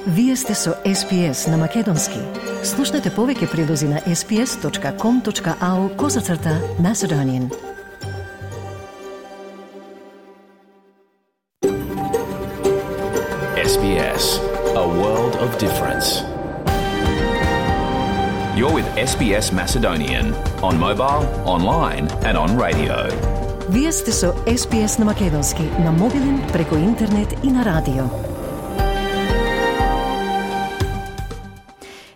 Вие сте со SPS на Македонски. Слушнете повеќе прилози на sps.com.au/Macedonian. SBS, a world of difference. You're with SBS Macedonian on mobile, online and on radio. Вие сте со SPS на Македонски на мобилен, преку интернет и на радио.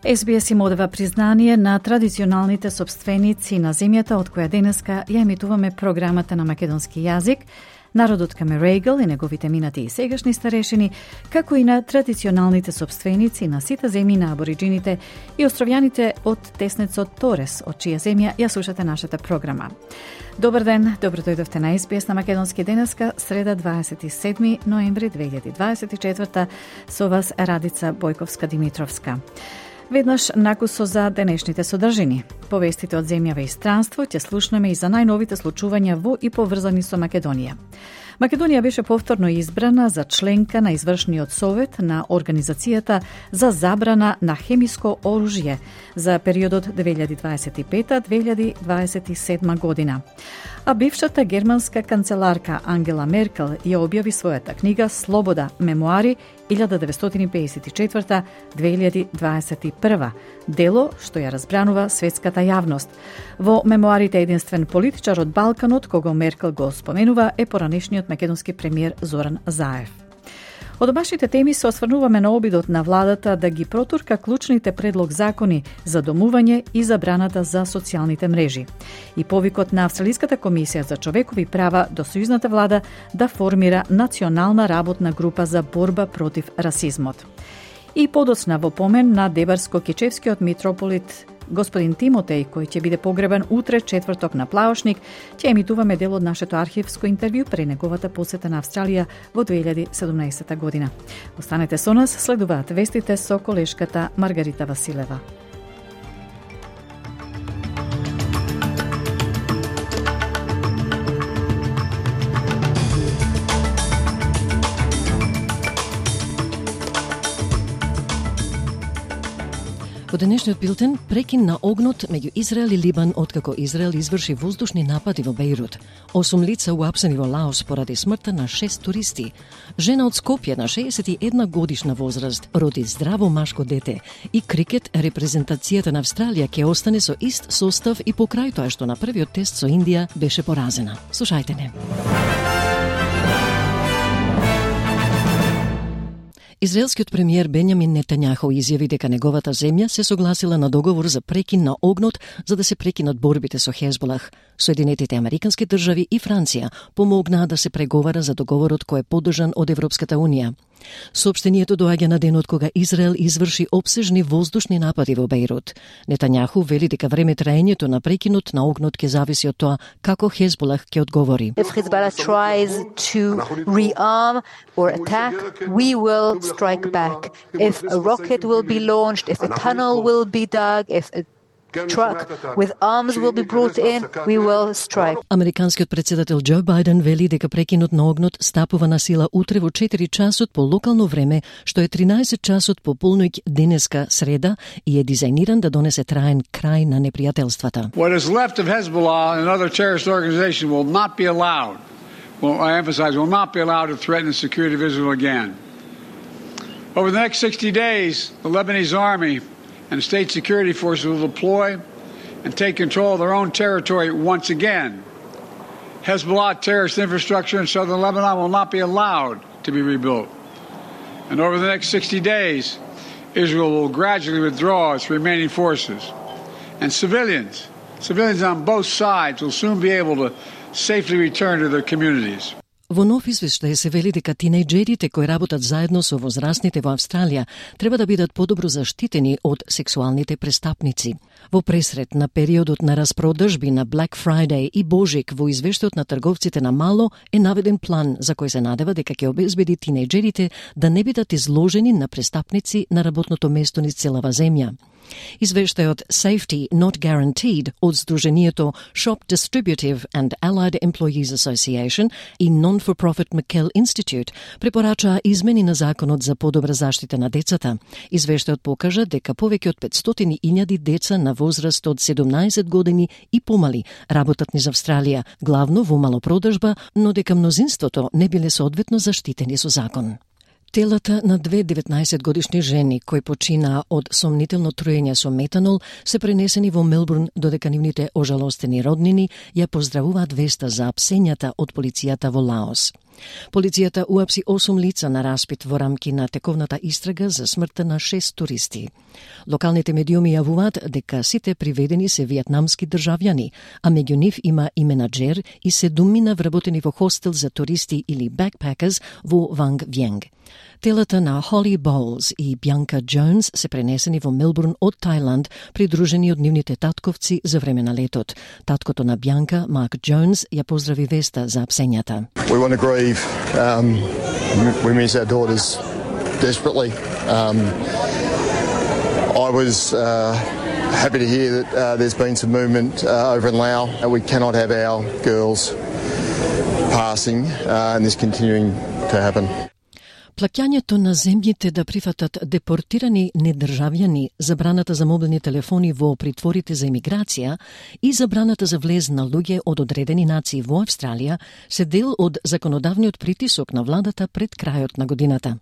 SBS им одава признание на традиционалните собственици на земјата од која денеска ја емитуваме програмата на македонски јазик, народот Камерегл и неговите минати и сегашни старешини, како и на традиционалните собственици на сите земји на абориджините и островјаните од теснецот Торес, од чија земја ја слушате нашата програма. Добар ден, добро дојдовте на SBS на македонски денеска, среда 27 ноември 2024, со вас Радица Бојковска-Димитровска. Веднаш накусо за денешните содржини. Повестите од земјава и странство ќе слушнеме и за најновите случувања во и поврзани со Македонија. Македонија беше повторно избрана за членка на Извршниот совет на Организацијата за забрана на хемиско оружје за периодот 2025-2027 година. А бившата германска канцеларка Ангела Меркел ја објави својата книга Слобода, мемуари 1954-2021, дело што ја разбранува светската јавност. Во мемуарите единствен политичар од Балканот, кого Меркел го споменува, е поранешниот македонски премиер Зоран Заев. Од домашните теми се осврнуваме на обидот на владата да ги протурка клучните предлог закони за домување и забраната за социјалните мрежи и повикот на Австралиската комисија за човекови права до сојузната влада да формира национална работна група за борба против расизмот. И подоцна во помен на Дебарско-Кечевскиот митрополит господин Тимотеј, кој ќе биде погребан утре четврток на Плаошник, ќе емитуваме дел од нашето архивско интервју пред неговата посета на Австралија во 2017 година. Останете со нас, следуваат вестите со колешката Маргарита Василева. Во денешниот билтен, прекин на огнот меѓу Израел и Либан откако Израел изврши воздушни напади во Бејрут. 8 лица уапсени во Лаос поради смртта на 6 туристи. Жена од Скопје на 61 годишна возраст роди здраво машко дете и крикет репрезентацијата на Австралија ќе остане со ист состав и покрај тоа што на првиот тест со Индија беше поразена. Слушајте не. Израелскиот премиер Бенјамин Нетањаху изјави дека неговата земја се согласила на договор за прекин на огнот за да се прекинат борбите со Хезболах. Соединетите американски држави и Франција помогнаа да се преговара за договорот кој е поддржан од Европската Унија. Соопштението доаѓа на денот кога Израел изврши опсежни воздушни напади во Бејрут. Нетањаху вели дека време траењето на прекинот на огнот ќе зависи од тоа како Хезболах ќе одговори. If Hezbollah tries to rearm or attack, we will strike back. If a rocket will be launched, if a tunnel will be dug, if a truck with arms will be brought in, we will strike. Американскиот председател Џо Бајден вели дека прекинот на огнот стапува на сила утре во 4 часот по локално време, што е 13 часот по полноќ денеска среда и е дизајниран да донесе траен крај на непријателствата. What is left of Hezbollah and other terrorist organizations will not be allowed. Well, I emphasize, will not be allowed to threaten the security of Israel again. Over the next 60 days, the Lebanese army and state security forces will deploy and take control of their own territory once again. Hezbollah terrorist infrastructure in southern Lebanon will not be allowed to be rebuilt. And over the next 60 days, Israel will gradually withdraw its remaining forces. And civilians on both sides will soon be able to safely return to their communities. Во нов извештај се вели дека тинејџерите кои работат заедно со возрастните во Австралија треба да бидат подобро заштитени од сексуалните престапници. Во пресред на периодот на распродажби на Black Friday и Божик во извештајот на трговците на мало е наведен план за кој се надева дека ќе обезбеди тинејџерите да не бидат изложени на престапници на работното место низ целава земја. Извештајот Safety Not Guaranteed од Сдруженијето Shop Distributive and Allied Employees Association и Non-for-Profit McKell Institute препорачаа измени на законот за подобра заштита на децата. Извештајот покажа дека повеќе од 500.000 деца на возраст од 17 години и помали работат низ Австралија, главно во малопродажба, но дека мнозинството не биле соодветно заштитени со закон. Телата на две 19-годишни жени кои починаа од сомнително труење со метанол се пренесени во Мелбурн, додека нивните ожалостени роднини ја поздравуваат веста за апсењата од полицијата во Лаос. Полицијата уапси 8 лица на распит во рамки на тековната истрага за смртта на 6 туристи. Локалните медиуми јавуваат дека сите приведени се виетнамски државјани, а меѓу нив има и менаџер и 7 вработени во хостел за туристи или backpackers во Ванг Вјенг. Телата на Холли Боулс и Бјанка Джонс се пренесени во Мелбурн од Тајланд, придружени од нивните татковци за време на летот. Таткото на Бјанка, Марк Джонс, ја поздрави веста за апсењата. We want to grieve. We miss our daughters desperately. I was happy to hear that there's been some movement over in Laos. We cannot have our girls passing and this continuing to happen. Плаќањето на земјите да прифатат депортирани недржавјани, забраната за мобилни телефони во притворите за имиграција и забраната за влез на луѓе од одредени нации во Австралија се дел од законодавниот притисок на владата пред крајот на годината.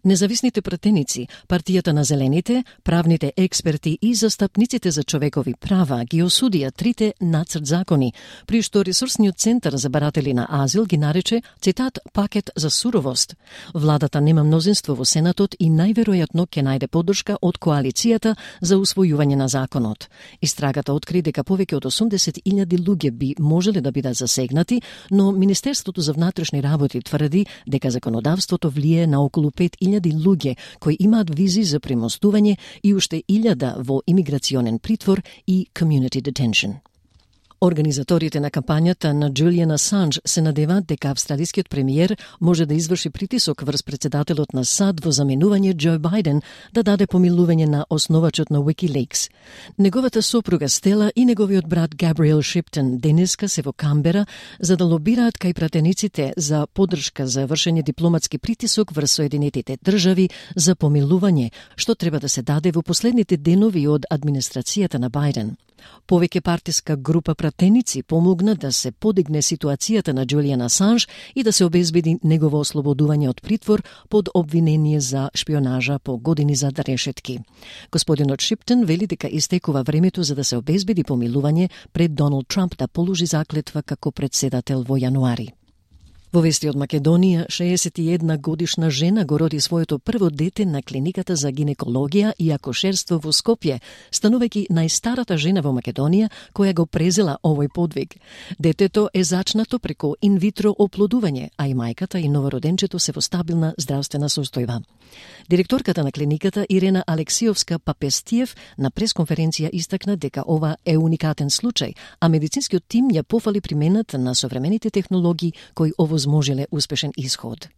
Независните пратеници, партијата на зелените, правните експерти и застапниците за човекови права ги осудија трите нацрт закони, при што ресурсниот центар за баратели на азил ги нарече, цитат, пакет за суровост. Владата нема мнозинство во Сенатот и најверојатно ќе најде поддршка од коалицијата за усвојување на законот. Истрагата откри дека повеќе од 80.000 луѓе би можеле да бидат засегнати, но Министерството за внатрешни работи тврди дека законодавството влие на околу 5.000 луѓе кои имаат визи за премостување и уште 1000 во имиграционен притвор и community detention. Организаторите на кампањата на Джулијан Асанж се надеваат дека австралискиот премиер може да изврши притисок врз председателот на САД во заменување Џо Бајден да даде помилување на основачот на Wikileaks. Неговата сопруга Стела и неговиот брат Габриел Шиптон денеска се во Камбера за да лобираат кај пратениците за поддршка за вршење дипломатски притисок врз Соединетите држави за помилување, што треба да се даде во последните денови од администрацијата на Бајден. Повеќе партиска група пратеници помогна да се подигне ситуацијата на Џулијан Асанж и да се обезбеди негово ослободување од притвор под обвинение за шпионажа по години зад решетки. Господинот Шиптон вели дека истекува времето за да се обезбеди помилување пред Доналд Трамп да положи заклетва како претседател во јануари. Во вести од Македонија, 61 годишна жена го роди своето прво дете на клиниката за гинекологија и акушерство во Скопје, станувајќи најстарата жена во Македонија која го презела овој подвиг. Детето е зачнато преку инвитро оплодување, а и мајката и новороденчето се во стабилна здравствена состојба. Директорката на клиниката Ирена Алексиовска-Папестиев на пресконференција истакна дека ова е уникатен случај, а медицинскиот тим ја пофали примената на современите технологии кои овозможиле успешен исход.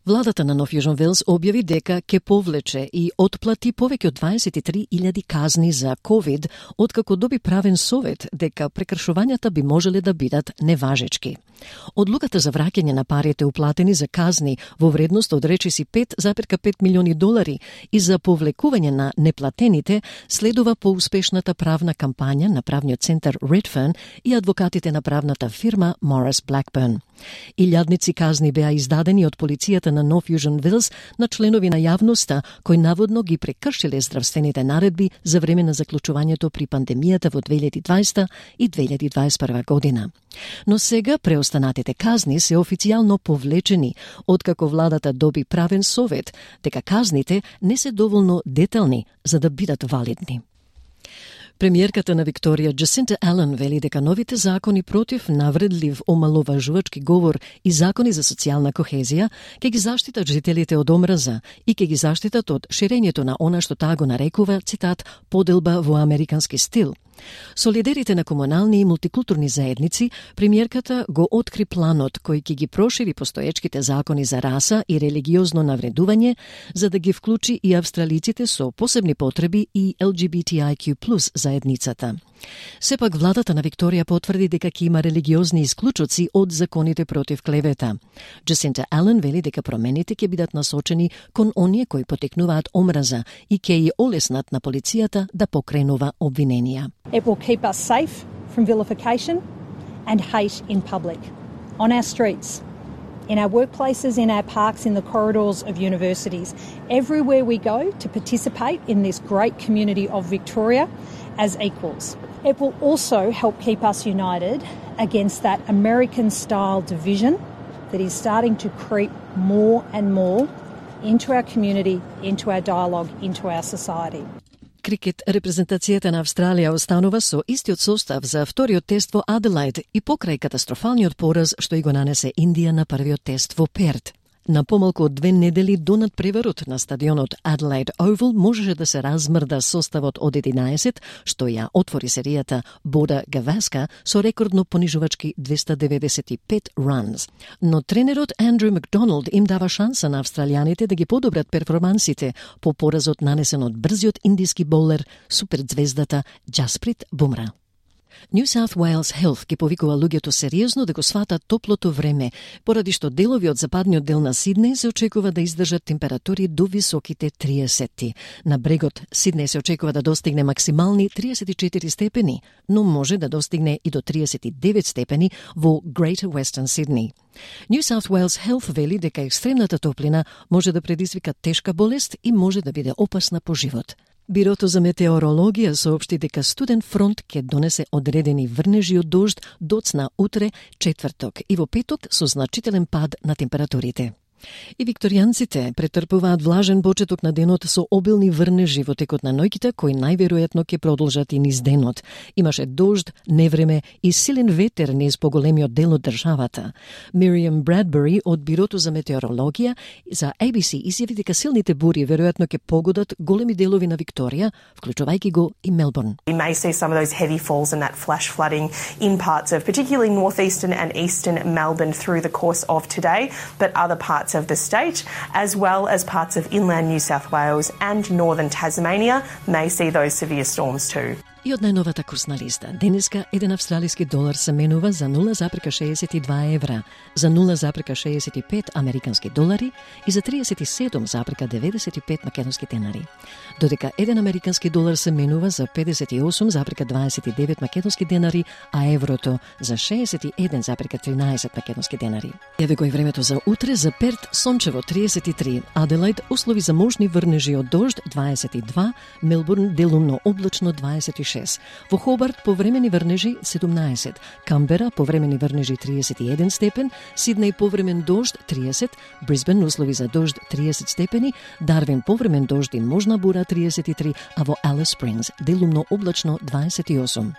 Владата на Нов Јужен Велс објави дека ќе повлече и отплати повеќе од 23.000 казни за COVID, откако доби правен совет дека прекршувањата би можеле да бидат неважечки. Одлуката за враќање на парите уплатени за казни во вредност од речиси $5,5 милиони и за повлекување на неплатените следува по успешната правна кампања на правниот центар Redfern и адвокатите на правната фирма Morris Blackburn. Илјадници казни беа издадени од полицијата на Нов Јужен Велс на членови на јавноста кои наводно ги прекршиле здравствените наредби за време на заклучувањето при пандемијата во 2020 и 2021 година. Но сега преостанатите казни се официјално повлечени, откако владата доби правен совет дека казните не се доволно детални за да бидат валидни. Премиерката на Викторија Джасинта Ален вели дека новите закони против навредлив омаловажувачки говор и закони за социјална кохезија ќе ги заштитат жителите од омраза и ќе ги заштитат од ширењето на она што таа го нарекува, цитат, поделба во американски стил. Со лидерите на комунални и мултикултурни заедници, премиерката го откри планот кој ќе ги прошири постоечките закони за раса и религиозно навредување, за да ги вклучи и австралиците со посебни потреби и LGBTIQ+ заедницата. Сепак владата на Викторија потврди дека ќе има религиозни исклучоци од законите против клевета. Джасинта Ален вели дека промените ќе бидат насочени кон оние кои потекнуваат омраза и ќе ја олеснат на полицијата да покренува обвиненија. It will keep us safe from vilification and hate in public, on our streets, in our workplaces, in our parks, in the corridors of universities, everywhere we go to participate in this great community of Victoria as equals. It will also help keep us united against that American-style division that is starting to creep more and more into our community, into our dialogue, into our society. Крикет, репрезентацијата на Австралија останува со истиот состав за вториот тест во Аделаид и покрај катастрофалниот пораз што и го нанесе Индија на првиот тест во Перт. На помалку од 2 недели до надпреварот на стадионот Adelaide Oval можеше да се размрда составот од 11, што ја отвори серијата Бода Гаваска со рекордно понижувачки 295 runs. Но тренерот Андрю Макдоналд им дава шанса на австралијаните да ги подобрат перформансите по поразот нанесен од брзиот индиски боулер суперзвездата Джасприт Бумра. New South Wales Health ги повикува луѓето сериозно да го сватат топлото време, поради што делови од западниот дел на Сиднеј се очекува да издржат температури до високите 30. На брегот Сиднеј се очекува да достигне максимални 34 степени, но може да достигне и до 39 степени во Greater Western Sydney. New South Wales Health вели дека екстремната топлина може да предизвика тешка болест и може да биде опасна по живот. Бирото за метеорологија соопшти дека студен фронт ќе донесе одредени врнежи од дожд доцна утре, четврток и во петок со значителен пад на температурите. И викторијанците претрпуваат влажен почеток на денот со обилни врнежи во текот на ноќите, кои најверојатно ќе продолжат и низ денот. Имаше дожд, невреме и силен ветер низ поголемиот дел од државата. Мириам Брадбери од Бирото за метеорологија за ABC изјави дека силните бури веројатно ќе погодат големи делови на Викторија, вклучувајќи го и Мелбурн. We may see some of those heavy falls and that flash flooding in parts of particularly northeastern and eastern Melbourne through the course of today, but other parts of the state, as well as parts of inland New South Wales and northern Tasmania, may see those severe storms too. И од најновата курсна листа, денеска еден австралиски долар се менува за 0,62 евра, за 0,65 американски долари и за 37,95 македонски денари. Додека еден американски долар се менува за 58,29 македонски денари, а еврото за 61,13 македонски денари. Еве го и времето за утре: за Перт сончево 33, Аделаид услови за можни врнежи од дожд 22, Мелбурн делумно облачно 26. Во Хобарт повремени врнежи 17, Камбера повремени врнежи 31 степен, Сиднеј повремен дожд 30, Брисбен услови за дожд 30 степени, Дарвин повремен дожд и можна бура 33, а во Алис Спрингс делумно облачно 28.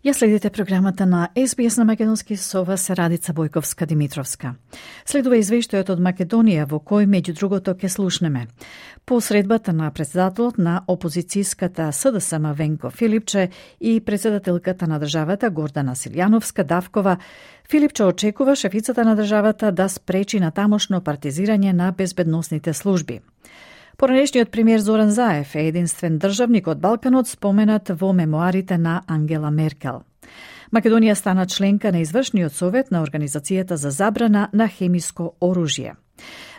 Ја следите програмата на SBS на македонски со вас Радица Бојковска-Димитровска. Следува извештајот од Македонија во кој меѓу другото ќе слушнеме. По средбата на председателот на опозицијската СДСМ Венко Филипче и председателката на државата Гордана Силјановска-Давкова, Филипче очекува шефицата на државата да спречи натамошно партизирање на безбедносните служби. Поранешниот премиер Зоран Заев е единствен државник од Балканот споменат во мемуарите на Ангела Меркел. Македонија стана членка на извршниот совет на Организацијата за забрана на хемиско оружје.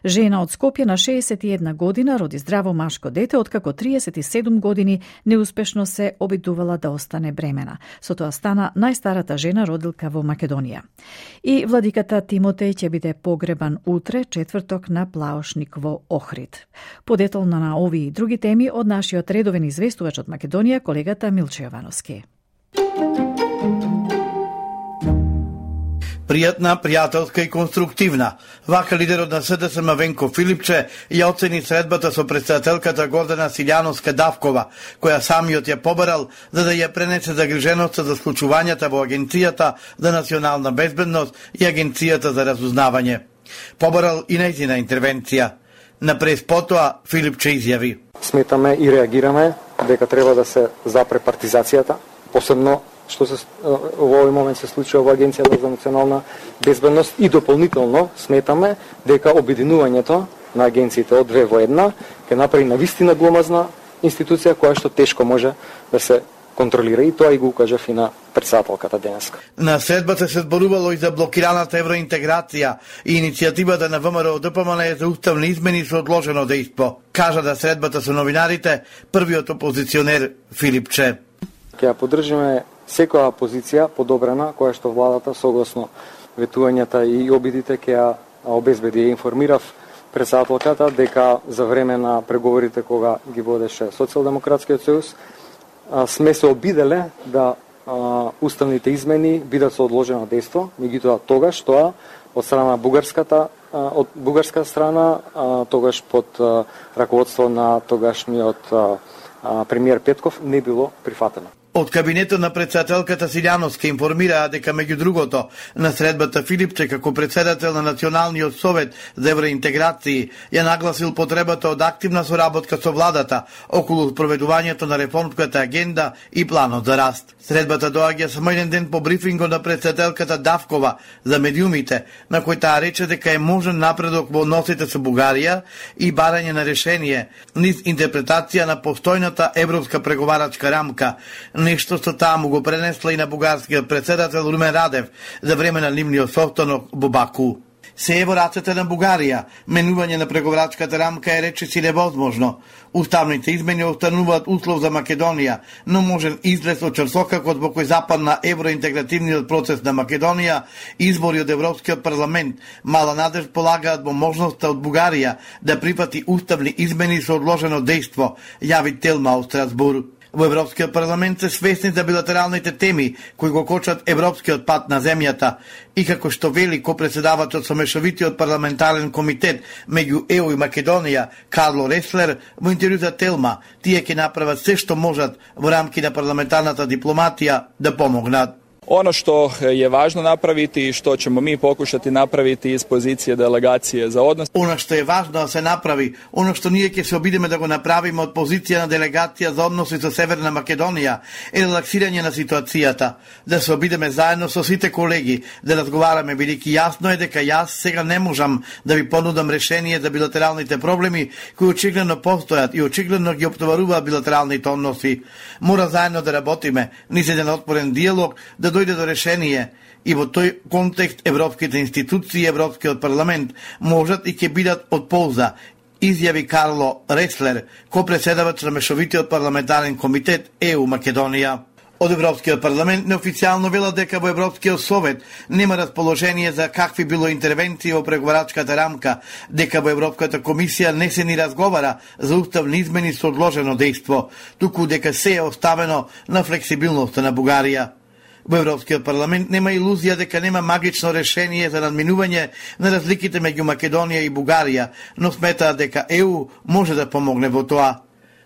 Жена од Скопје на 61 година роди здраво машко дете, откако 37 години неуспешно се обидувала да остане бремена. Со тоа стана најстарата жена родилка во Македонија. И владиката Тимотеј ќе биде погребан утре, четврток, на Плаошник во Охрид. Подетално на овие и други теми од нашиот редовен известувач од Македонија, колегата Милче Јовановски. Пријатна, пријателска и конструктивна. Вака лидерот на СДСМ Венко Филипче ја оцени средбата со председателката Гордана Силјановска-Давкова, која самиот ја побарал за да ја пренесе загриженоста за случувањата во Агенцијата за национална безбедност и Агенцијата за разузнавање. Побарал и нејзина интервенција. Напред потоа Филипче изјави: Сметаме и реагираме дека треба да се запре партизацијата, посебно што се во овој момент се случува во Агенцијата за национална безбедност, и дополнително сметаме дека обединувањето на агенциите од две во една ќе направи навистина гломазна институција која што тешко може да се контролира, и тоа и го кажав и на председателката денеска. На средбата се зборувало и за блокираната евроинтеграција и иницијативата на ВМРО ДПМН за уставни измени со одложено дејство. Кажа да средбата со новинарите првиот опозиционер Филипче. Ќе ја поддржиме секоја позиција подобрена која што владата согласно ветувањата и обидите ќе ја обезбеди. Ја информирав председателката дека за време на преговорите кога ги водеше Социјалдемократскиот сојуз сме се обиделе да уставните измени бидат со одложено дејство, меѓутоа тогаш тоа од страна од бугарска страна, тогаш под раководство на тогашниот премиер Петков не било прифатено. Од кабинетот на председателката Силјановска информираа дека меѓу другото на средбата Филипче како председател на Националниот совет за евроинтеграција ја нагласил потребата од активна соработка со владата околу спроведувањето на реформската агенда и планот за раст. Средбата доаѓа само еден ден по брифингот на председателката Давкова за медиумите, на кој таа рече дека е можен напредок во односите со Бугарија и барање на решение низ интерпретација на постојната европска преговарачка рамка, нешто што таа му го пренесла и на бугарскиот председател Румен Радев за време на нивниот состанок во Баку. Се е во рацете на Бугарија, менување на преговарачката рамка е речиси невозможно. Уставните измени остануваат услов за Македонија, но можен излез од чарсокакот во кој западна евроинтегративниот процес на Македонија, избори од Европскиот парламент, мала надеж полагаат во можноста од Бугарија да прифати уставни измени со одложено дејство, јави Телма од Страсбур. Во Европскиот парламент се свесни за билатералните теми кои го кочат европскиот пат на земјата и како што вели ко-председавачот со мешовитиот парламентарен комитет меѓу ЕУ и Македонија Карло Реслер во интервју за Телма, тие ќе направат се што можат во рамки на парламентарната дипломатија да помогнат. Ono što je važno napraviti i što ćemo mi pokušati napraviti iz pozicije delegacije za odnos. Ono što je važno da se napravi, ono što ние ќе се обидиме да го направиме од позиција на делегација за односи со Северна Македонија е релаксирање на ситуацијата, да се обидиме заедно со сите колеги, да разговараме, бидејќи јасно е дека јас сега не можам да ви понудам решение за билатералните проблеми кои очигледно постојат и очигледно ги оптоваруваат билатералните односи. Мора заедно да работиме низ еден отворен диалог, да дојде до решение, и во тој контекст европските институции и Европскиот парламент можат и ќе бидат од полза, изјави Карло Реслер, ко-председавач на мешовитиот парламентарен комитет ЕУ Македонија. Од Европскиот парламент неофицијално велат дека во Европскиот совет нема расположение за какви било интервенции во преговарачката рамка, дека во Европската комисија не се ни разговара за уставни измени со одложено дејство, туку дека се е оставено на флексибилноста на Бугарија. Во Европскиот парламент нема илузија дека нема магично решение за надминување на разликите меѓу Македонија и Бугарија, но сметаат дека ЕУ може да помогне во тоа.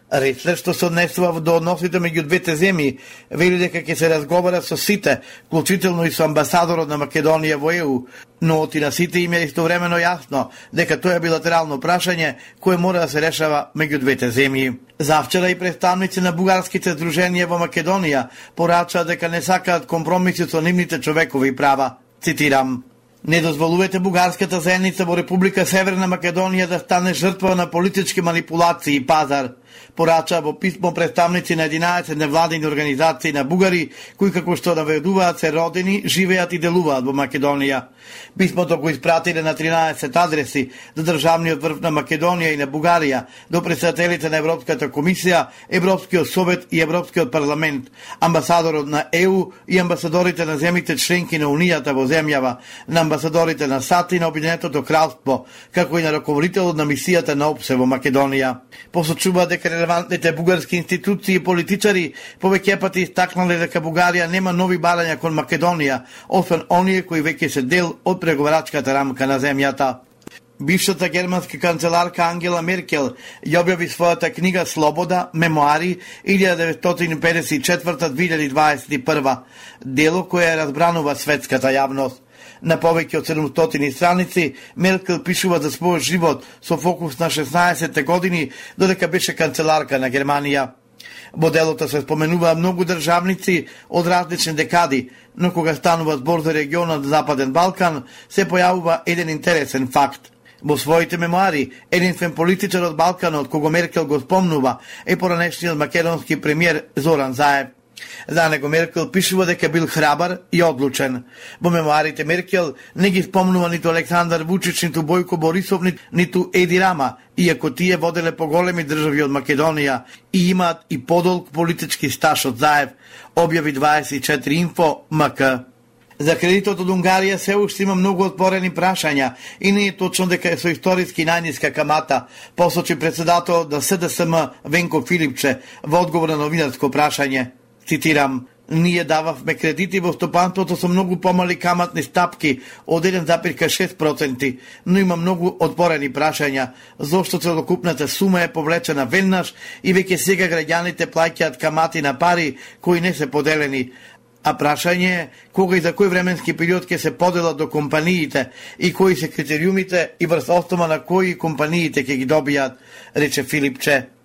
Реслер, што се однесува до односите меѓу двете земји, вели дека ќе се разговара со сите, вклучително и со амбасадорот на Македонија во ЕУ, но оти на сите им е истовремено јасно дека тоа е билатерално прашање кое мора да се решава меѓу двете земји. Завчера и представници на бугарските здруженија во Македонија порачаа дека не сакаат компромиси со нивните човекови права. Цитирам: "Не дозволувате бугарската заедница во Република Северна Македонија да стане жртва на политички манипулации и пазар", порача во писмо представници на 11 невладини организации на бугари, кои како што наведуваат се родени, живеат и делуваат во Македонија. Писмото го испратиле на 13 адреси за државниот врв на Македонија и на Бугарија, до председателите на Европската комисија, Европскиот совет и Европскиот парламент, амбасадорот на ЕУ и амбасадорите на земјите членки на Унијата во земјава, на амбасадорите на САД и на Обединетото кралство, како и на раководителот на мисијата на ОПСЕ во Македонија. Посочува дека дека релевантните бугарски институции и политичари повеќе пати истакнале дека Бугарија нема нови барања кон Македонија, освен оние кои веќе се дел од преговарачката рамка на земјата. Бившата германска канцеларка Ангела Меркел ја објави својата книга Слобода, мемуари 1954-2021, дело кое ја разбранува светската јавност. На повеќе од 700 страници, Меркел пишува за својот живот со фокус на 16 години, додека беше канцеларка на Германија. Во делото се споменува многу државници од различни декади, но кога станува збор за регионот Западен Балкан, се појавува еден интересен факт. Во своите мемуари, единствен политичар од Балканот, кого Меркел го спомнува, е поранешниот македонски премиер Зоран Заев. За него Меркел пишува дека бил храбар и одлучен. Во мемуарите Меркел не ги спомнува ниту Александар Вучич, ниту Бојко Борисов, ниту Еди Рама, иако тие воделе поголеми држави од Македонија и имаат и подолг политички стаж од Заев, објави 24 Инфо МК. За кредитот од Унгарија се уште има многу отворени прашања и не е точно дека е со историски најниска камата, посочи председателот на СДСМ Венко Филипче во одговор на новинарско прашање. Цитирам: "Ние дававме кредити во стопанството со многу помали каматни стапки од 1,6%, но има многу отворени прашања, зошто целокупната сума е повлечена веднаш и веќе сега граѓаните плаќаат камати на пари кои не се поделени. А прашање е кога и за кој временски период ќе се поделат до компаниите и кои се критериумите и врз основа на кои компаниите ќе ги добијат", рече Филипче.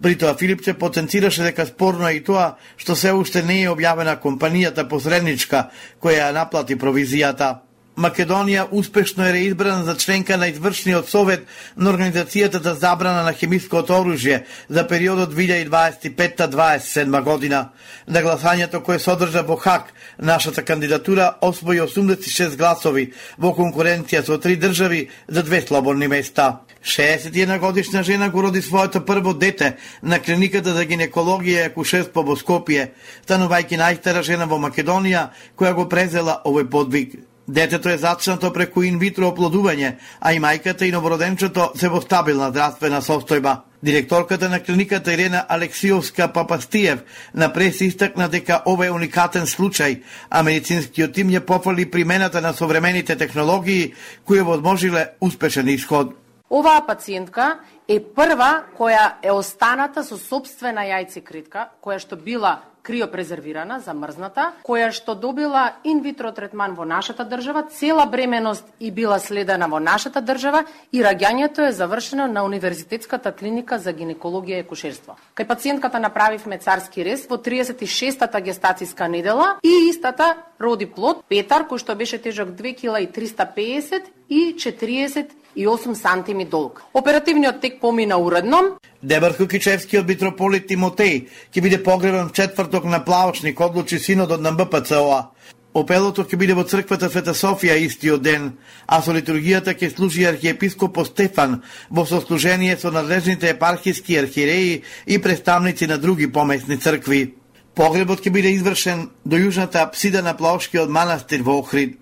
При тоа Филипче потенцираше дека спорно е и тоа што се уште не е објавена компанијата посредничка која ја наплати провизијата. Македонија успешно е реизбрана за членка на извршниот совет на Организацијата за забрана на хемиското оружје за периодот 2025-2027 година. На гласањето кое содржа во Хаг, нашата кандидатура освои 86 гласови во конкуренција со 3 држави за 2 слободни места. 61 годишна жена го роди своето прво дете на клиниката за гинекологија и акушерство во Скопје, станувајќи најстара жена во Македонија која го презела овој подвиг. Детето е зачнато преку инвитро оплодување, а и мајката и новороденчето се во стабилна здравствена состојба. Директорката на клиниката Ирена Алексиовска-Папастиев на прес истакна дека ова е уникатен случај, а медицинскиот тим ја пофали примената на современите технологии кои возможиле успешен исход. Оваа пациентка е прва која е останата со сопствена јајцеклетка, која што била криопрезервирана, замрзната, која што добила инвитро третман во нашата држава, цела бременост и била следена во нашата држава и раѓањето е завршено на Универзитетската клиника за гинекологија и акушерство. Кај пациентката направивме царски рез во 36-та гестацијска недела и истата роди плод Петар, кој што беше тежок 2,350 и 48 сантими долг. Оперативниот тек помина уредно. Дебарко-Кичевскиот митрополит Тимотеј ќе биде погребан четврток на Плавошник, одлучи синодот на МПЦО. Опелото ќе биде во црквата Света Софија истиот ден, а со литургијата ќе служи архиепископот Стефан во сослужение со надлежните епархиски архиереи и представници на други помесни цркви. Погребот ќе биде извршен до јужната апсида на Плавошкиот манастир во Охрид.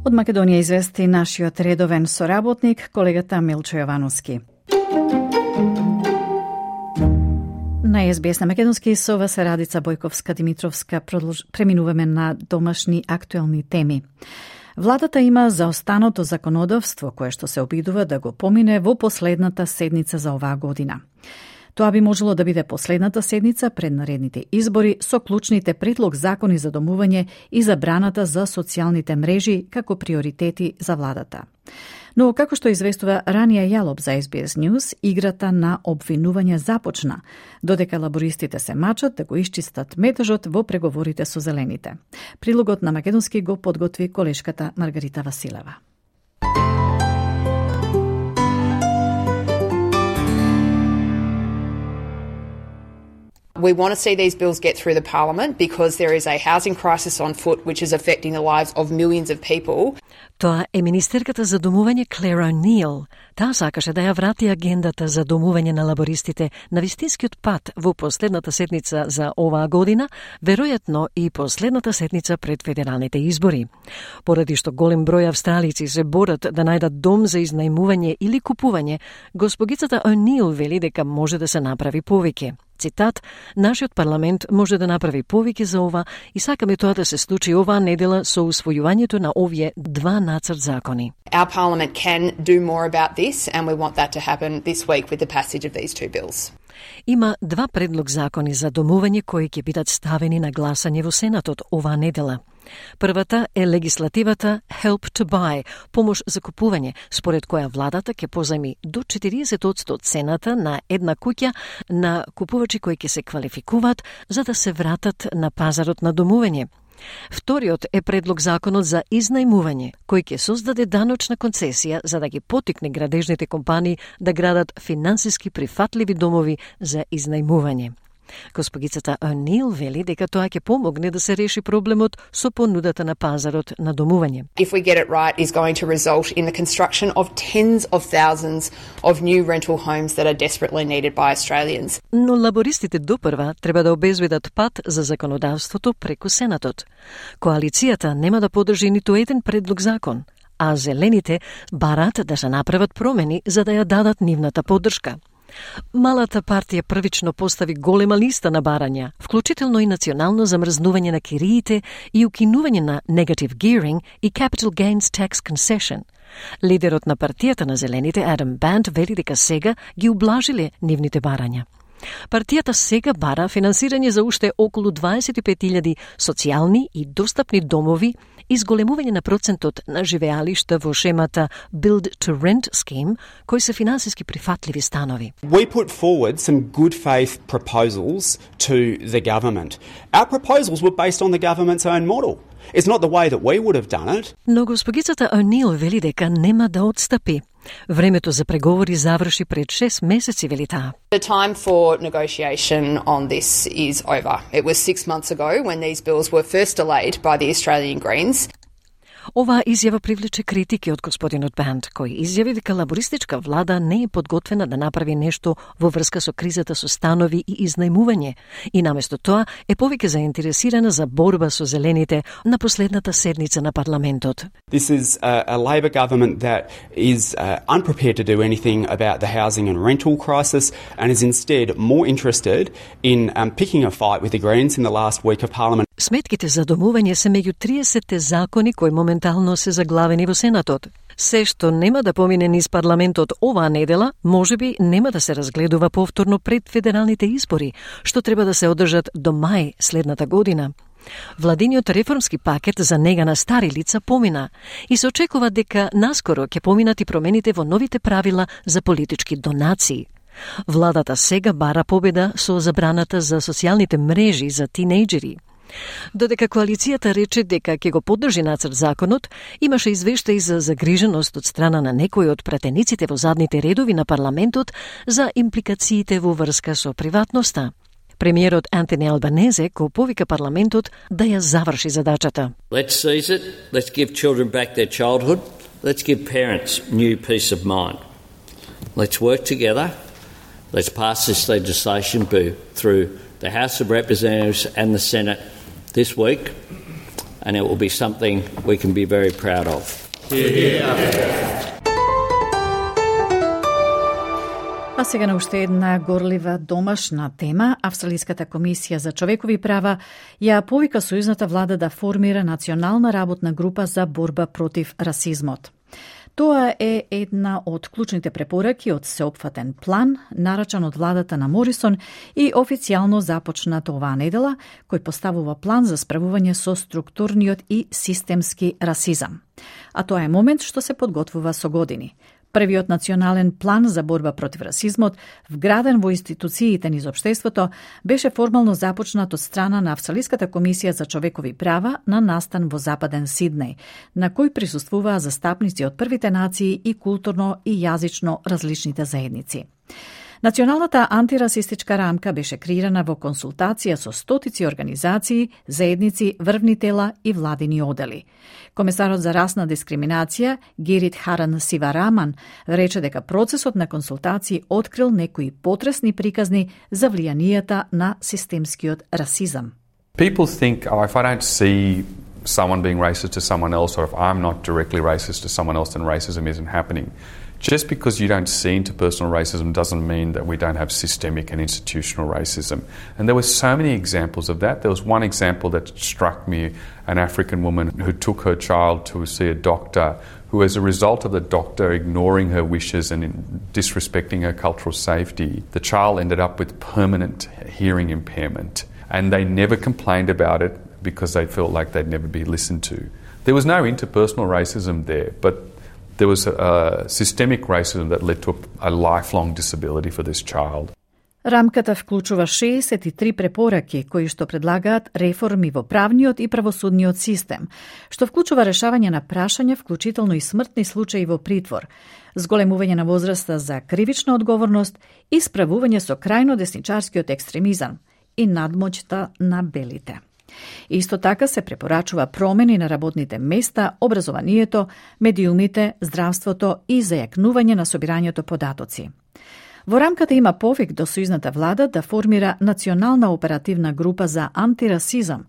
Од Македонија извести нашиот редовен соработник, колегата Милчо Јовановски. На СБС на Македонски со вас Радица Бојковска-Димитровска преминуваме на домашни актуелни теми. Владата има заостаното законодавство кое што се обидува да го помине во последната седница за оваа година. Тоа би можело да биде последната седница пред наредните избори со клучните предлог закони за домување и забраната за социјалните мрежи како приоритети за владата. Но, како што известува Рания Јалоб за SBS News, играта на обвинување започна, додека лабористите се мачат да го исчистат метажот во преговорите со зелените. Прилогот на македонски го подготви колешката Маргарита Василева. We want to see these bills get through the parliament because there is a housing crisis on foot which is affecting the lives of millions of people. Тоа е министерката за домување Claire O'Neill. Таа сакаше да ја врати агендата за домување на лабористите на вистинскиот пат во последната седница за оваа година, веројатно и последната седница пред федералните избори. Поради што голем број австралици се борат да најдат дом за изнајмување или купување, госпогицата O'Neill вели дека може да се направи повеќе. Цитат: "Нашиот парламент може да направи повеќе за ова и сакаме тоа да се случи оваа недела со усвојувањето на овие два нацрт закони." Our parliament can do more about this and we want that to happen this week with the passage of these two bills. Има два предлог закони за домување кои ќе бидат ставени на гласање во Сенатот оваа недела. Првата е легислативата Help to Buy, помош за купување, според која владата ќе позајми до 40% од цената на една куќа на купувачи кои ќе се квалификуваат за да се вратат на пазарот на домување. Вториот е предлог законот за изнајмување, кој ќе создаде даночна концесија за да ги потикне градежните компании да градат финансиски прифатливи домови за изнајмување. Госпогицата O'Neill вели дека тоа ќе помогне да се реши проблемот со понудата на пазарот на домување. If we get it right, is going to result in the construction of tens of thousands of new rental homes that are desperately needed by Australians. Но лабористите допрва треба да обезбедат пат за законодавството преку Сенатот. Коалицијата нема да подржи ниту еден предлог закон, а зелените барат да се направат промени за да ја дадат нивната поддршка. Малата партија првично постави голема листа на барања, вклучително и национално замрзнување на кириите и укинување на negative gearing и capital gains tax concession. Лидерот на партијата на зелените, Адам Бант, вели дека сега ги ублажиле нивните барања. Партијата сега бара финансирање за уште околу 25.000 социјални и достапни домови и зголемување на процентот на живеалишта во шемата Build to Rent scheme, кои се финансиски прифатливи станови. We put forward some good faith proposals to the government. Our proposals were based on the government's own model. It's not the way that we would have done it. Но госпогицата O'Neill вели дека нема да отстапи. Времето за преговори заврши пред 6 месеци, вели таа. The time for negotiation on this is over. It was 6 months ago when these bills were first delayed by the Australian Greens. Оваа изјава привлече критики од господинот Бант, кој изјави дека лабористичка влада не е подготвена да направи нешто во врска со кризата со станови и изнајмување и наместо тоа е повеќе заинтересирана за борба со зелените на последната седница на парламентот. This is a Labor government that is unprepared to do anything about the housing and rental crisis and is instead more interested in picking a fight with the Greens in the last week of Parliament. Сметките за домување се меѓу 30 закони кои моментално се заглавени во Сенатот. Се што нема да помине низ парламентот оваа недела, можеби нема да се разгледува повторно пред федералните избори, што треба да се одржат до мај следната година. Владиниот реформски пакет за нега на стари лица помина и се очекува дека наскоро ќе поминат и промените во новите правила за политички донации. Владата сега бара победа со забраната за социјалните мрежи за тинејџери. Додека коалицијата рече дека ќе го поддржи нацрт законот, имаше извештаи за загриженост од страна на некои од пратениците во задните редови на парламентот за импликациите во врска со приватноста. Премиерот Антони Албанезе го повика парламентот да ја заврши задачата. Let's seize it. Let's give children back their childhood. Let's give parents new peace of mind. Let's work together. Let's pass this legislation through the House of Representatives and the Senate this week, and it will be something we can be very proud of. А сега на уште една горлива домашна тема. Австралиската комисија за човекови права ја повика сојузната влада да формира национална работна група за борба против расизмот. Тоа е една од клучните препораки од сеопфатен план, нарачан од владата на Морисон и официјално започнат оваа недела, кој поставува план за справување со структурниот и системски расизам. А тоа е момент што се подготвува со години. Првиот национален план за борба против расизмот, вграден во институциите низ општеството, беше формално започнат од страна на Австралиската комисија за човекови права на настан во Западен Сиднеј, на кој присуствуваа застапници од првите нации и културно и јазично различните заедници. Националната антирасистичка рамка беше креирана во консултација со стотици организации, заедници, врвни тела и владини одели. Комесарот за расна дискриминација Гирит Харан Сивараман рече дека процесот на консултации открил некои потресни приказни за влијанијата на системскиот расизам. People think, if I don't see someone being racist to someone else, or if I'm not directly racist to someone else, then racism isn't happening. Just because you don't see interpersonal racism doesn't mean that we don't have systemic and institutional racism. And there were so many examples of that. There was one example that struck me, an African woman who took her child to see a doctor, who as a result of the doctor ignoring her wishes and disrespecting her cultural safety, the child ended up with permanent hearing impairment. And they never complained about it because they felt like they'd never be listened to. There was no interpersonal racism there, but there was a systemic racism that led to a lifelong disability for this child. Рамката вклучува 63 препораки кои што предлагаат реформи во правниот и правосудниот систем, што вклучува решавање на прашања, вклучително и смртни случаи во притвор, зголемување на возраста за кривична одговорност и справување со крајно десничарскиот екстремизам и надмоќта на белите. Исто така се препорачува промени на работните места, образованието, медиумите, здравството и зајакнување на собирањето податоци. Во рамката има повик до сојузната влада да формира национална оперативна група за антирасизам,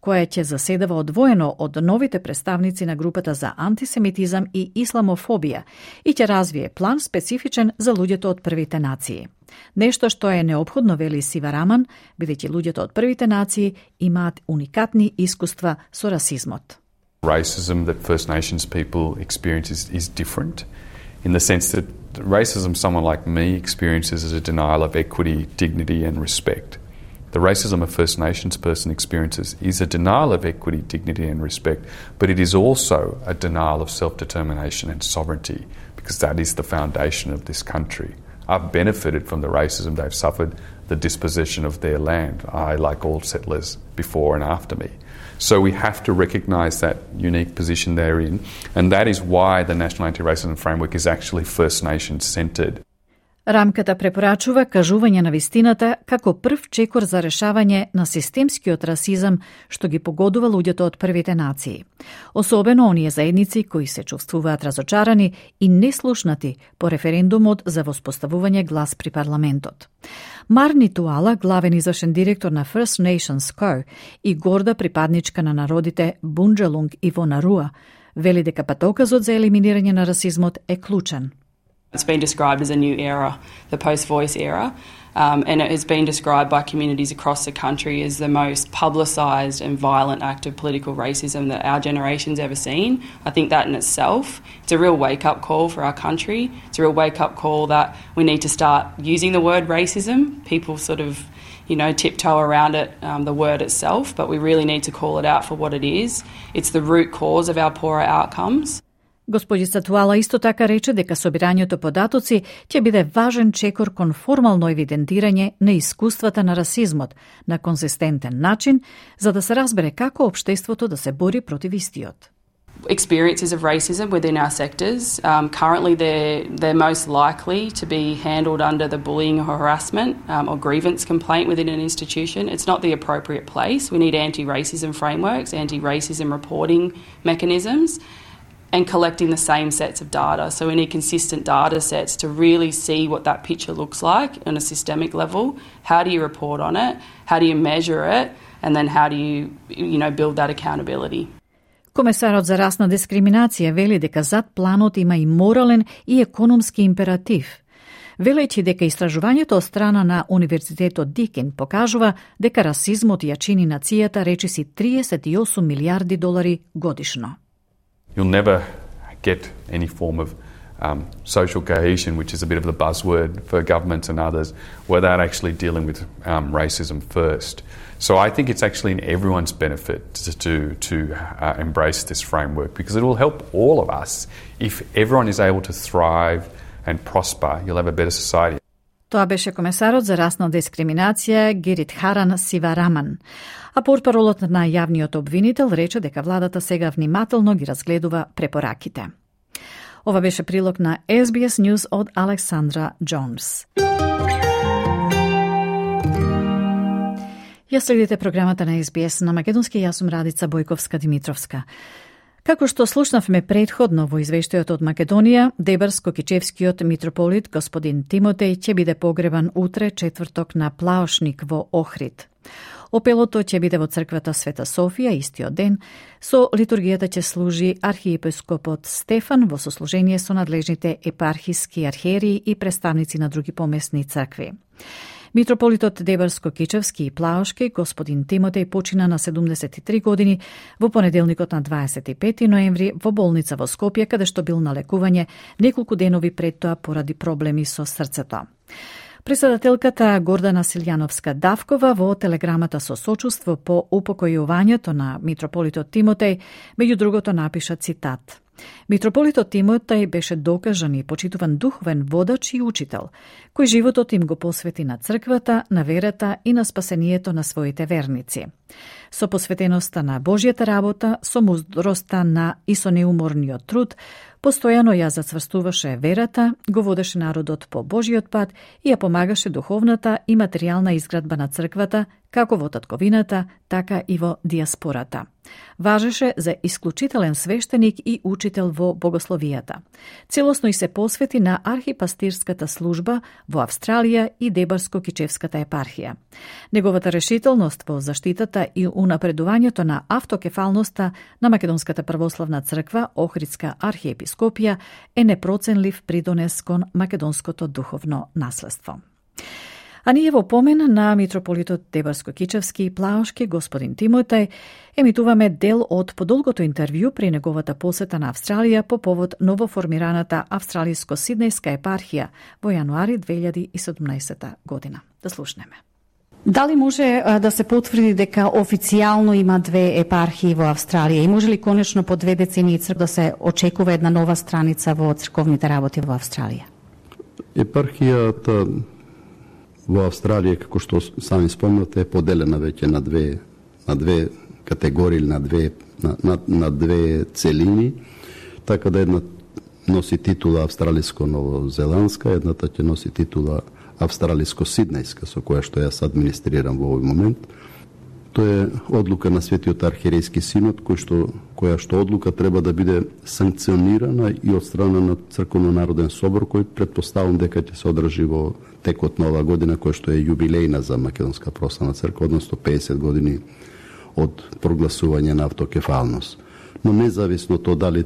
која ќе заседава одвоено од новите представници на групата за антисемитизам и исламофобија и ќе развие план специфичен за луѓето од првите нации. Нешто што е неопходно, вели Сивараман, бидејќи луѓето од првите нации имаат уникатни искуства со расизмот. Racism that First Nations people experience is different in the sense that racism someone like me experiences is a denial of equity, dignity and respect. The racism a First Nations person experiences is a denial of equity, dignity and respect, but it is also a denial of self-determination and sovereignty, because that is the foundation of this country. I've benefited from the racism they've suffered, the dispossession of their land, like all settlers before and after me. So we have to recognise that unique position they're in, and that is why the National Anti-Racism Framework is actually First Nations-centred. Рамката препорачува кажување на вистината како прв чекор за решавање на системскиот расизам што ги погодува луѓето од првите нации. Особено оние заедници кои се чувствуваат разочарани и неслушнати по референдумот за воспоставување глас при парламентот. Марни Туала, главен извршен директор на First Nations Co и горда припадничка на народите Бунџалунг и Вонаруа, вели дека патоказот за елиминирање на расизмот е клучен. It's been described as a new era, the post-voice era, and it has been described by communities across the country as the most publicised and violent act of political racism that our generation's ever seen. I think that in itself, it's a real wake-up call for our country. It's a real wake-up call that we need to start using the word racism. People sort of, tiptoe around it, the word itself, but we really need to call it out for what it is. It's the root cause of our poorer outcomes. Господица Туала исто така рече дека собирањето податоци ќе биде важен чекор кон формално евидентирање на искуствата на расизмот на конзистентен начин, за да се разбере како општеството да се бори против истиот. Experiences of racism within our sectors. Currently, they're most likely to be handled under the bullying or harassment or grievance complaint within an institution. It's not the appropriate place. We need anti-racism frameworks, anti-racism reporting mechanisms, and collecting the same sets of data. So we need consistent data sets to really see what that picture looks like on a systemic level. How do you report on it? How do you measure it? And then how do you build that accountability? Комесарот за расна дискриминација вели дека зад планот има и морален и економски императив. Велејќи дека истражувањето од страна на Универзитетот Дикин покажува дека расизмот ја чини нацијата речиси $38 милиарди годишно. You'll never get any form of social cohesion, which is a bit of the buzzword for governments and others, without actually dealing with racism first. So I think it's actually in everyone's benefit to embrace this framework, because it will help all of us. If everyone is able to thrive and prosper, you'll have a better society. Тоа беше комесарот за расна дискриминација Гирит Харан Сивараман. А портпаролот на јавниот обвинител рече дека владата сега внимателно ги разгледува препораките. Ова беше прилог на SBS News од Александра Джонс. Ја следите програмата на SBS на македонски, јас сум Радица Бојковска-Димитровска. Како што слушнавме предходно во извештајот од Македонија, Дебарско-Кичевскиот митрополит господин Тимотеј ќе биде погребан утре, четврток, на Плаошник во Охрид. Опелото ќе биде во црквата Света Софија истиот ден. Со литургијата ќе служи архиепископот Стефан во сослужение со надлежните епархиски архиереи и представници на други помесни цркви. Митрополитот Дебарско-Кичевски и Плаошки, господин Тимотеј, почина на 73 години во понеделникот на 25 ноември во болница во Скопје, каде што бил на лекување неколку денови пред тоа поради проблеми со срцето. Председателката Гордана Силјановска-Давкова во телеграмата со сочувство по упокојувањето на митрополитот Тимотеј, меѓу другото напиша цитат: Митрополитот Тимотеј беше докажан и почитуван духовен водач и учител, кој животот им го посвети на црквата, на верата и на спасението на своите верници. Со посветеноста на Божјата работа, со мудроста и со неуморниот труд, постојано ја зацврстуваше верата, го водеше народот по Божиот пат и ја помагаше духовната и материјална изградба на црквата, како во татковината, така и во диаспората. Важеше за исклучителен свештеник и учител во богословијата. Целосно и се посвети на архипастирската служба во Австралија и Дебарско-Кичевската епархија. Неговата решителност во заштитата и унапредувањето на автокефалноста на Македонската православна црква, Охридска архиепископија, е непроценлив придонес кон македонското духовно наследство. А ние во помен на митрополитот Дебарско-Кичевски и Плаошки, господин Тимотеј, емитуваме дел од подолгото интервју при неговата посета на Австралија по повод новоформираната австралиско-сиднејска епархија во јануари 2017 година. Да слушнеме. Дали може да се потврди дека официјално има две епархии во Австралија и може ли конечно по 2 децении да се очекува една нова страница во црковните работи во Австралија? Епархијата во Австралија, како што сами спомнате, е поделена веќе на две категории, на две целини, така да една носи титула австралиско-новозеландска, едната ќе носи титула австралиско-сиднејска, со која што јас администрирам во овој момент. Тоа е одлука на Светиот архиерейски синод, која што одлука треба да биде санкционирана и од страна на Црковно-народен собор, кој претпоставам дека ќе се одржи во текот на оваа година, која што е јубилејна за Македонска православна црква, односно 50 години од прогласување на автокефалност. Но независно тоа дали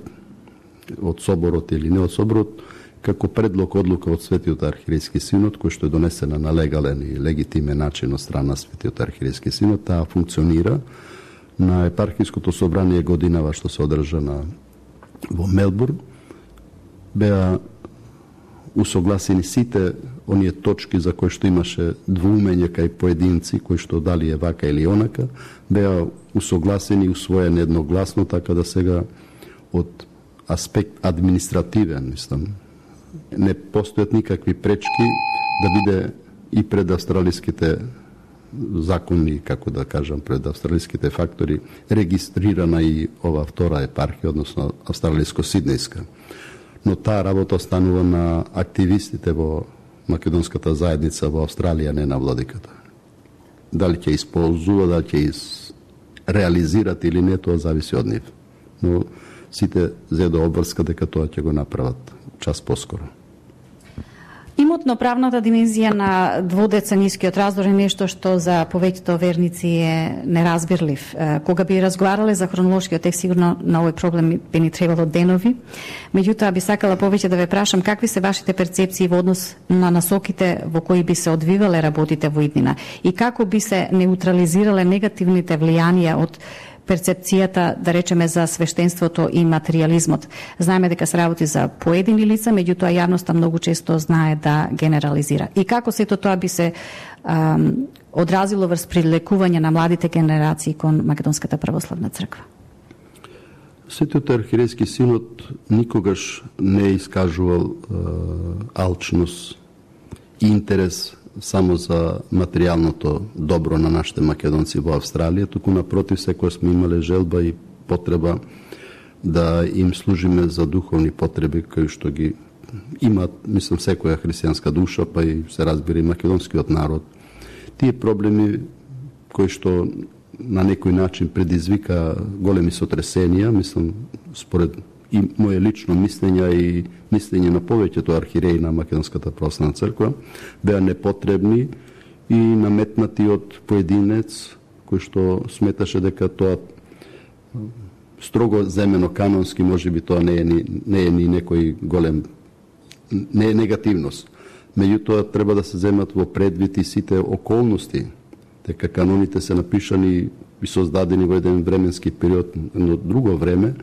од соборот или не од соборот, како предлог одлука од Светиот архиерейски синод, кој што е донесена на легален и легитимен начин од страна на Светиот архиерейски синод, таа функционира. На епархиското собрание годинава што се одржа во Мелбурн, беа усогласени сите оние точки за кои што имаше двоумење кај поединци, кои што дали е вака или онака, беа усогласени и усвоени едногласно, така да сега од аспект административен, мислам, не постојат никакви пречки да биде и пред австралиските закони, како да кажам, пред австралиските фактори, регистрирана и ова втора епархија, односно австралиско-сиднејска. Но таа работа останува на активистите во македонската заедница во Австралија, не на владиката. Дали ќе исползува, дали ќе реализират или не, тоа зависи од нив. Но сите зедо обврска дека тоа ќе го направат час поскоро. Имотно правната димензија на дводеценискиот раздор е нешто што за повеќето верници е неразбирлив. Кога би разговарале за хронолошкиот текст, сигурно на овој проблем би ни требало денови. Меѓутоа би сакала повеќе да ве прашам какви се вашите перцепции во однос на насоките во кои би се одвивале работите во иднина и како би се неутрализирале негативните влијанија од перцепцијата, да речеме, за свештенството и материјализмот. Знаеме дека се работи за поедини лица, меѓутоа јавноста многу често знае да генерализира. И како сето тоа би се одразило врз привлекување на младите генерации кон Македонската православна црква? Светиот архиерейски синод никогаш не е искажувал алчност и интерес само за материјалното добро на нашите македонци во Австралија, туку напротив секој сме имале желба и потреба да им служиме за духовни потреби кои што ги имат, мислам, секоја христијанска душа, па и се разбира и македонскиот народ. Тие проблеми кој што на некој начин предизвика големи сотресенија, мислам, според и моje лично мислење и мислење на повеќето архиереи на Македонската православна црква, беа непотребни и наметнати од поединец кој што сметаше дека тоа строго земено канонски, можеби тоа не е ни некој голем, не е негативност. Меѓутоа треба да се земат во предвид и сите околности, дека каноните се напишани и создадени во еден временски период, но друго време,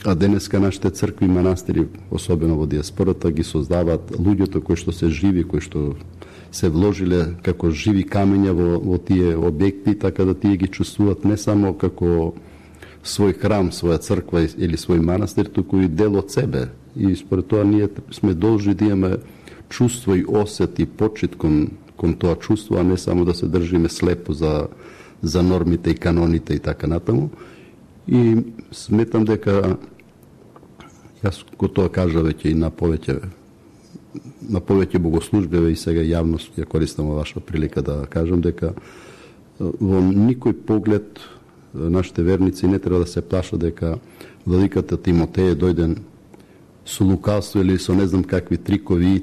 а денеска нашите цркви и манастири, особено во диаспората, ги создаваат луѓето кои што се живи, кои што се вложиле како живи камења во тие објекти, така да тие ги чувствуваат не само како свој храм, своја црква или свој манастир, туку и дел од себе. И според тоа ние сме должни да имаме чувство и осет и почит кон тоа чувство, а не само да се држиме слепо за нормите и каноните и така натаму. И сметам дека јас го тоа кажа веќе и на повеќе богослужбиве и сега јавност ја користам ваша прилика да кажам дека во никој поглед нашите верници не треба да се плашат дека владиката Тимотеј е дојден со лукавство или со не знам какви трикови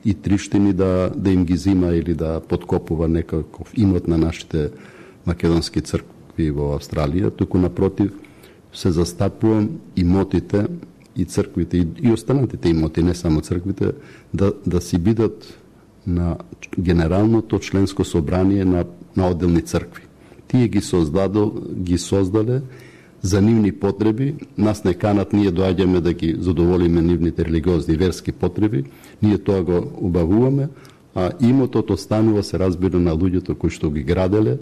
и триштини да им ги зима или да подкопува некаков имот на нашите македонски цркви во Австралија, туку напротив се застапувам имотите и црквите и останатите имоти, не само црквите, да си бидат на генералното членско собрание на одделни цркви. Тие ги создале за нивни потреби, нас не канат, ние доаѓаме да ги задоволиме нивните религиозни верски потреби, ние тоа го убавуваме, а имотот останува, се разбира, на луѓето кои што ги граделе,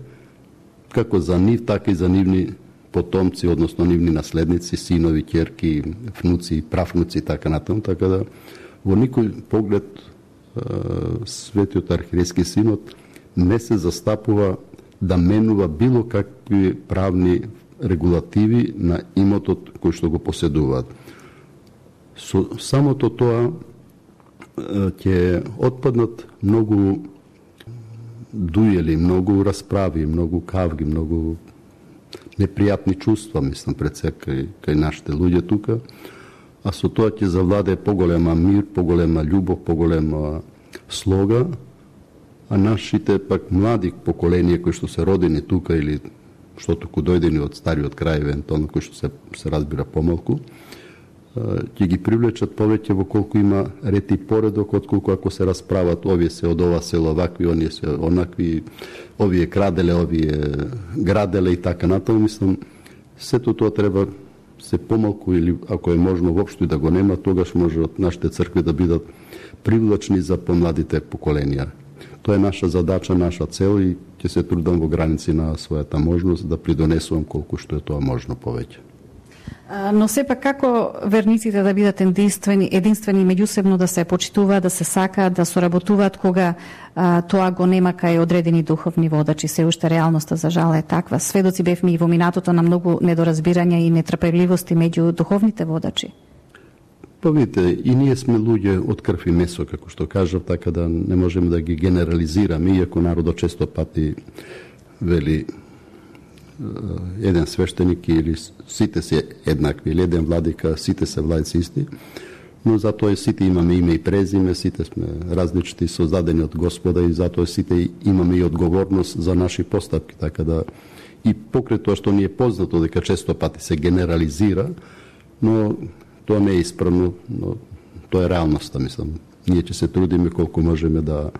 како за нив, така и за нивни потомци, односно нивни наследници, синови, ќерки, внуци, правнуци и така натаму, така да во никој поглед Светиот архиерейски синод не се застапува да менува било какви правни регулативи на имотот кој што го поседуваат. Со самото тоа ќе отпаднат многу дуели, многу расправи, многу кавги, многу непријатни чувства, мислам, пред се кај нашите луѓе тука, а со тоа ќе завладее поголема мир, поголема љубов, поголема слога, а нашите пак млади поколенија кои што се родени тука или што туку дојдени од стариот крај, евентуално кои што се разбира помалку, ќе ги привлечат повеќе во колку има ред и поредок, отколку ако се расправат овие се од ова село вакви, оние се онакви, овие краделе, овие граделе и така натаму. Мислам, сето тоа треба се помалку или ако е можно воопшто и да го нема, тогаш може од нашите цркви да бидат привлачни за помладите поколенија. Тоа е наша задача, наша цел и ќе се трудам во граници на својата можност да придонесувам колку што е тоа можно повеќе. Но сепак како верниците да бидат единствени меѓусебно, да се почитуваат, да се сакаат, да соработуваат кога тоа го нема кај одредени духовни водачи. Се уште реалноста за жал е таква. Сведоци бевме и во минатото на многу недоразбирања и нетрпеливости меѓу духовните водачи. Па видите, и ние сме луѓе од крв и месо, како што кажав, така да не можеме да ги генерализираме, иако народот често пати вели еден свештеник или сите се еднакви, или еден владика, сите се владици исти, но затоа сите имаме име и презиме, сите сме различни, создадени од Господа и затоа сите имаме и одговорност за наши постапки, така да и покрај тоа што ни е познато дека често пати се генерализира, но тоа не е исправно, но тоа е реалноста, мислам. Ние ќе се трудиме колку можеме да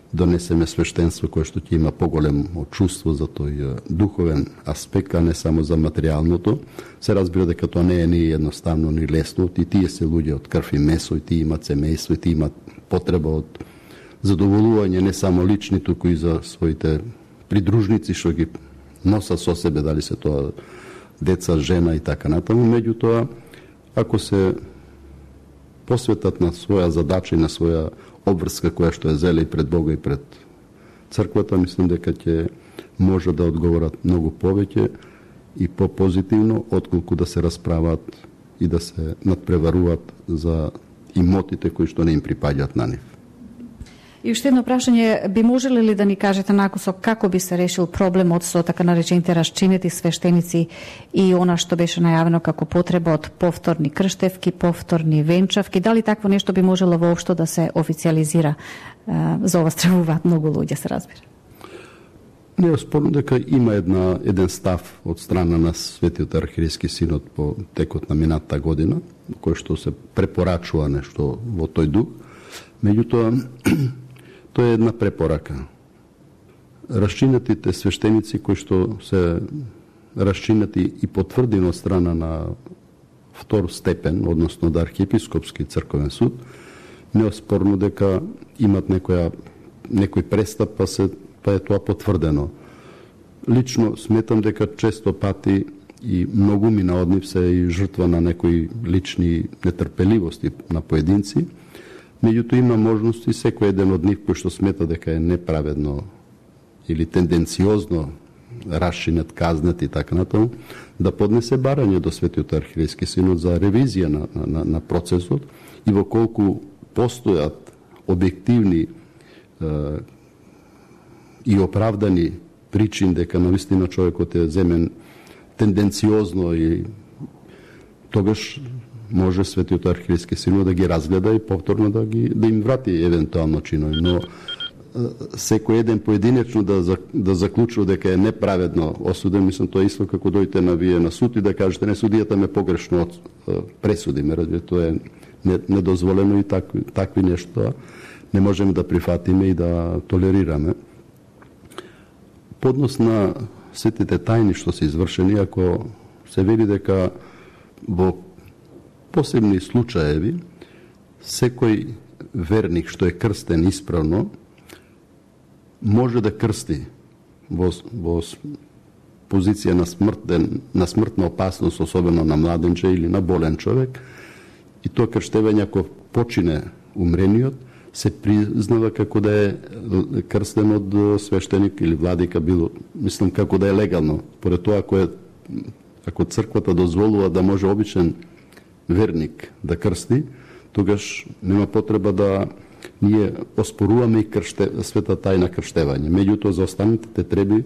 донесеме свештенство кое што ќе има поголемо чувство за тој духовен аспект, а не само за материјалното. Се разбира дека тоа не е ни едноставно, ни лесно, и тие се луѓе од крв и месо, и тие имат семејство, и тие имат потреба од задоволување не само лични, туку и за своите придружници што ги носат со себе, дали се тоа деца, жена и така натаму. Меѓутоа, ако се посветат на своја задача и на своја обврска која што е зеле и пред Бога и пред црквата, мислам дека ќе може да одговорат многу повеќе и по-позитивно, отколку да се расправат и да се надпреваруваат за имотите кои што не им припаѓаат на нив. И уште едно прашање, би можеле ли да ни кажете накусо како би се решил проблемот со така наречените расчинети свештеници и она што беше најавено како потреба од повторни крштевки, повторни венчавки, дали такво нешто би можело воопшто да се официализира? За ова стравуваат многу луѓе, се разбира. Не е спорно дека има еден став од страна на Светиот архиерейски синод по текот на минатата година, кој што се препорачува нешто во тој дух. Меѓутоа, тоа е една препорака. Расчинатите свештеници кои што се расчинати и потврдени од страна на втор степен, односно од архиепископски црковен суд, не е спорно дека имат некој престап, па е тоа потврдено. Лично сметам дека често пати и многумина од нив се и жртва на некои лични нетрпеливости на поединци, меѓутоа има можности секој еден од нив кој што смета дека е неправедно или тенденциозно расчинет, казнет и така натаму, да поднесе барање до Светиот архиерейски синод за ревизија на процесот и во колку постојат објективни и оправдани причини дека навистина човекот е земен тенденциозно и тогаш може Светиот архиерейски синод да ги разгледа и повторно да им врати евентуално чинови, но секој еден поединечно да заклучува дека е неправедно осуден, мислам тоа исто како дојдете на вие на суд и да кажете не, судијата ме погрешно пресуди, ме разбира, тоа е недозволено и такви нешто не можеме да прифатиме и да толерираме. Поднос на сетите тајни што се извршени, ако се вели дека во посебни случаеви секој верник што е крстен исправно може да крсти во позиција на смртна опасност, особено на младенче или на болен човек, и тоа крштевање ако почине умрениот, се признава како да е крстен од свештеник или владика, мислам како да е легално. Поред тоа, ако црквата дозволува да може обичен верник да крсти, тогаш нема потреба да ние оспоруваме и света тајна крштевање. Меѓутоа, за останатите треба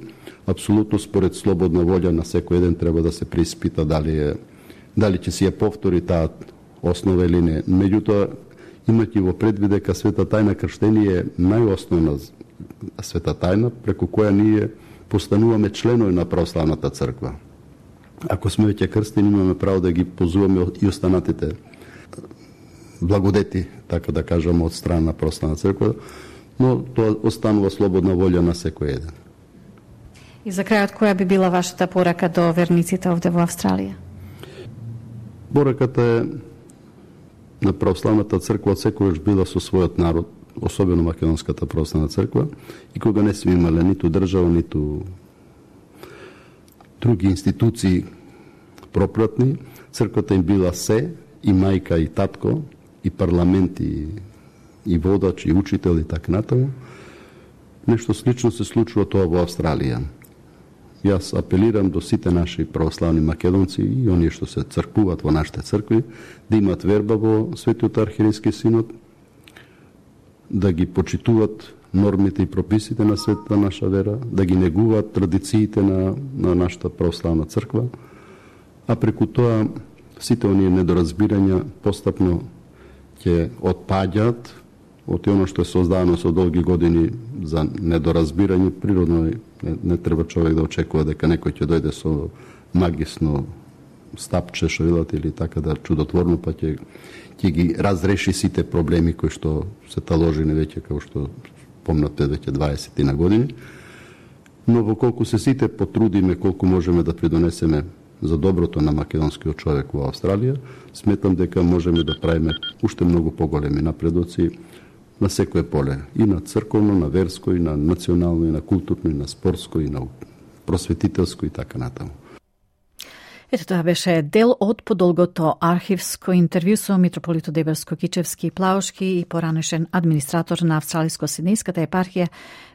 апсолутно според слободна волја на секој еден треба да се преиспита дали ќе си ја повтори таа основа или не. Меѓутоа, имајќи во предвид дека света тајна крштение е најосновна света тајна преку која ние постануваме членови на православната црква. Ако сме веќе крстени, имаме право да ги позуваме и останатите благодети, така да кажам, од страна на православна црква, но тоа останува слободна волја на секој еден. И за крајот, која би била вашата порака до верниците овде во Австралија? Пораката е на православната црква секогаш била со својот народ, особено Македонската православна црква, и кога не сме имале ниту држава, ниту други институции пропратни, црквата им била се, и мајка, и татко, и парламент, и водач, и учител, и така натаму. Нешто слично се случува тоа во Австралија. Јас апелирам до сите наши православни македонци и оние што се цркуваат во нашите цркви, да имат верба во Светиот архиерейски синод, да ги почитуваат нормите и прописите на светата наша вера, да ги негуваат традициите на нашата православна црква, а преку тоа сите оние недоразбирања постапно ќе отпаѓаат од оно што е создадено со долги години за недоразбирање. Природно не треба човек да очекува дека некој ќе дојде со магисно стапче, што велат, или така да чудотворно, па ќе ги разреши сите проблеми кои што се таложени веќе, како што помнате, веќе 20 на години. Но во колку се сите потрудиме, колку можеме да придонесеме за доброто на македонскиот човек во Австралија, сметам дека можеме да правиме уште многу поголеми напредоци на секое поле, и на црковно, на верско, и на национално, и на културно, и на спортско, и на просветителско и така натаму. Ето тоа беше дел од подолгото архивско интервју со митрополито Дебелско-Кичевски и Плаушки и поранешен администратор на Австралиско-Сиднејската епархија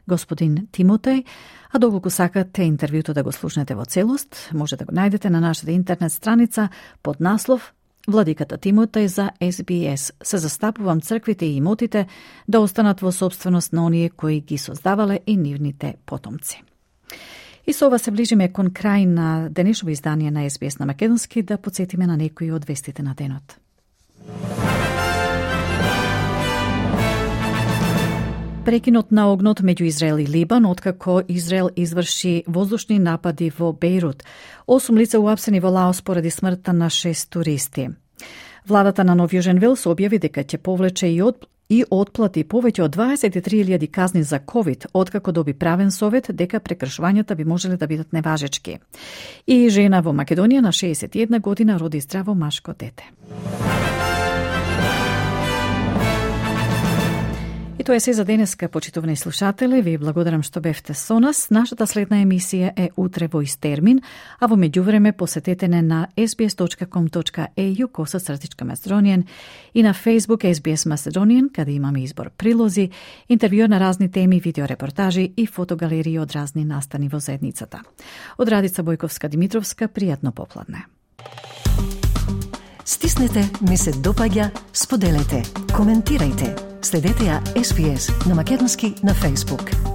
господин Тимотеј. А доколку сакате интервјуто да го слушнете во целост, може да го најдете на нашата интернет страница под наслов Владиката Тимотеј за SBS. Се застапувам црквите и имотите да останат во собственост на оние кои ги создавале и нивните потомци. И со ова се ближиме кон крај на денешното издание на SBS на македонски, да подсетиме на некои од вестите на денот. Прекинот на огнот меѓу Израел и Либан, откако Израел изврши воздушни напади во Бејрут. 8 лица уапсени во Лаос поради смртта на 6 туристи. Владата на Нов Јужен Велс објави дека ќе повлече и отплати повеќе од 23.000 казни за ковид, откако доби правен совет дека прекршувањата би можеле да бидат неважечки. И жена во Македонија на 61 година роди здраво машко дете. И тоа е се за денеска, почитувани слушатели. Ви благодарам што бевте со нас. Нашата следна емисија е утре во ист термин, а во меѓувреме посетете не на sbs.com.au/Macedonian и на Facebook SBS Macedonian, каде имаме избор прилози, интервју на разни теми, видеорепортажи и фотогалерии од разни настани во заедницата. Од Радица Бојковска-Димитровска, пријатно попладне. Стиснете, ми се допаѓа, споделете, коментирајте. Следете ја SBS на македонски на Facebook.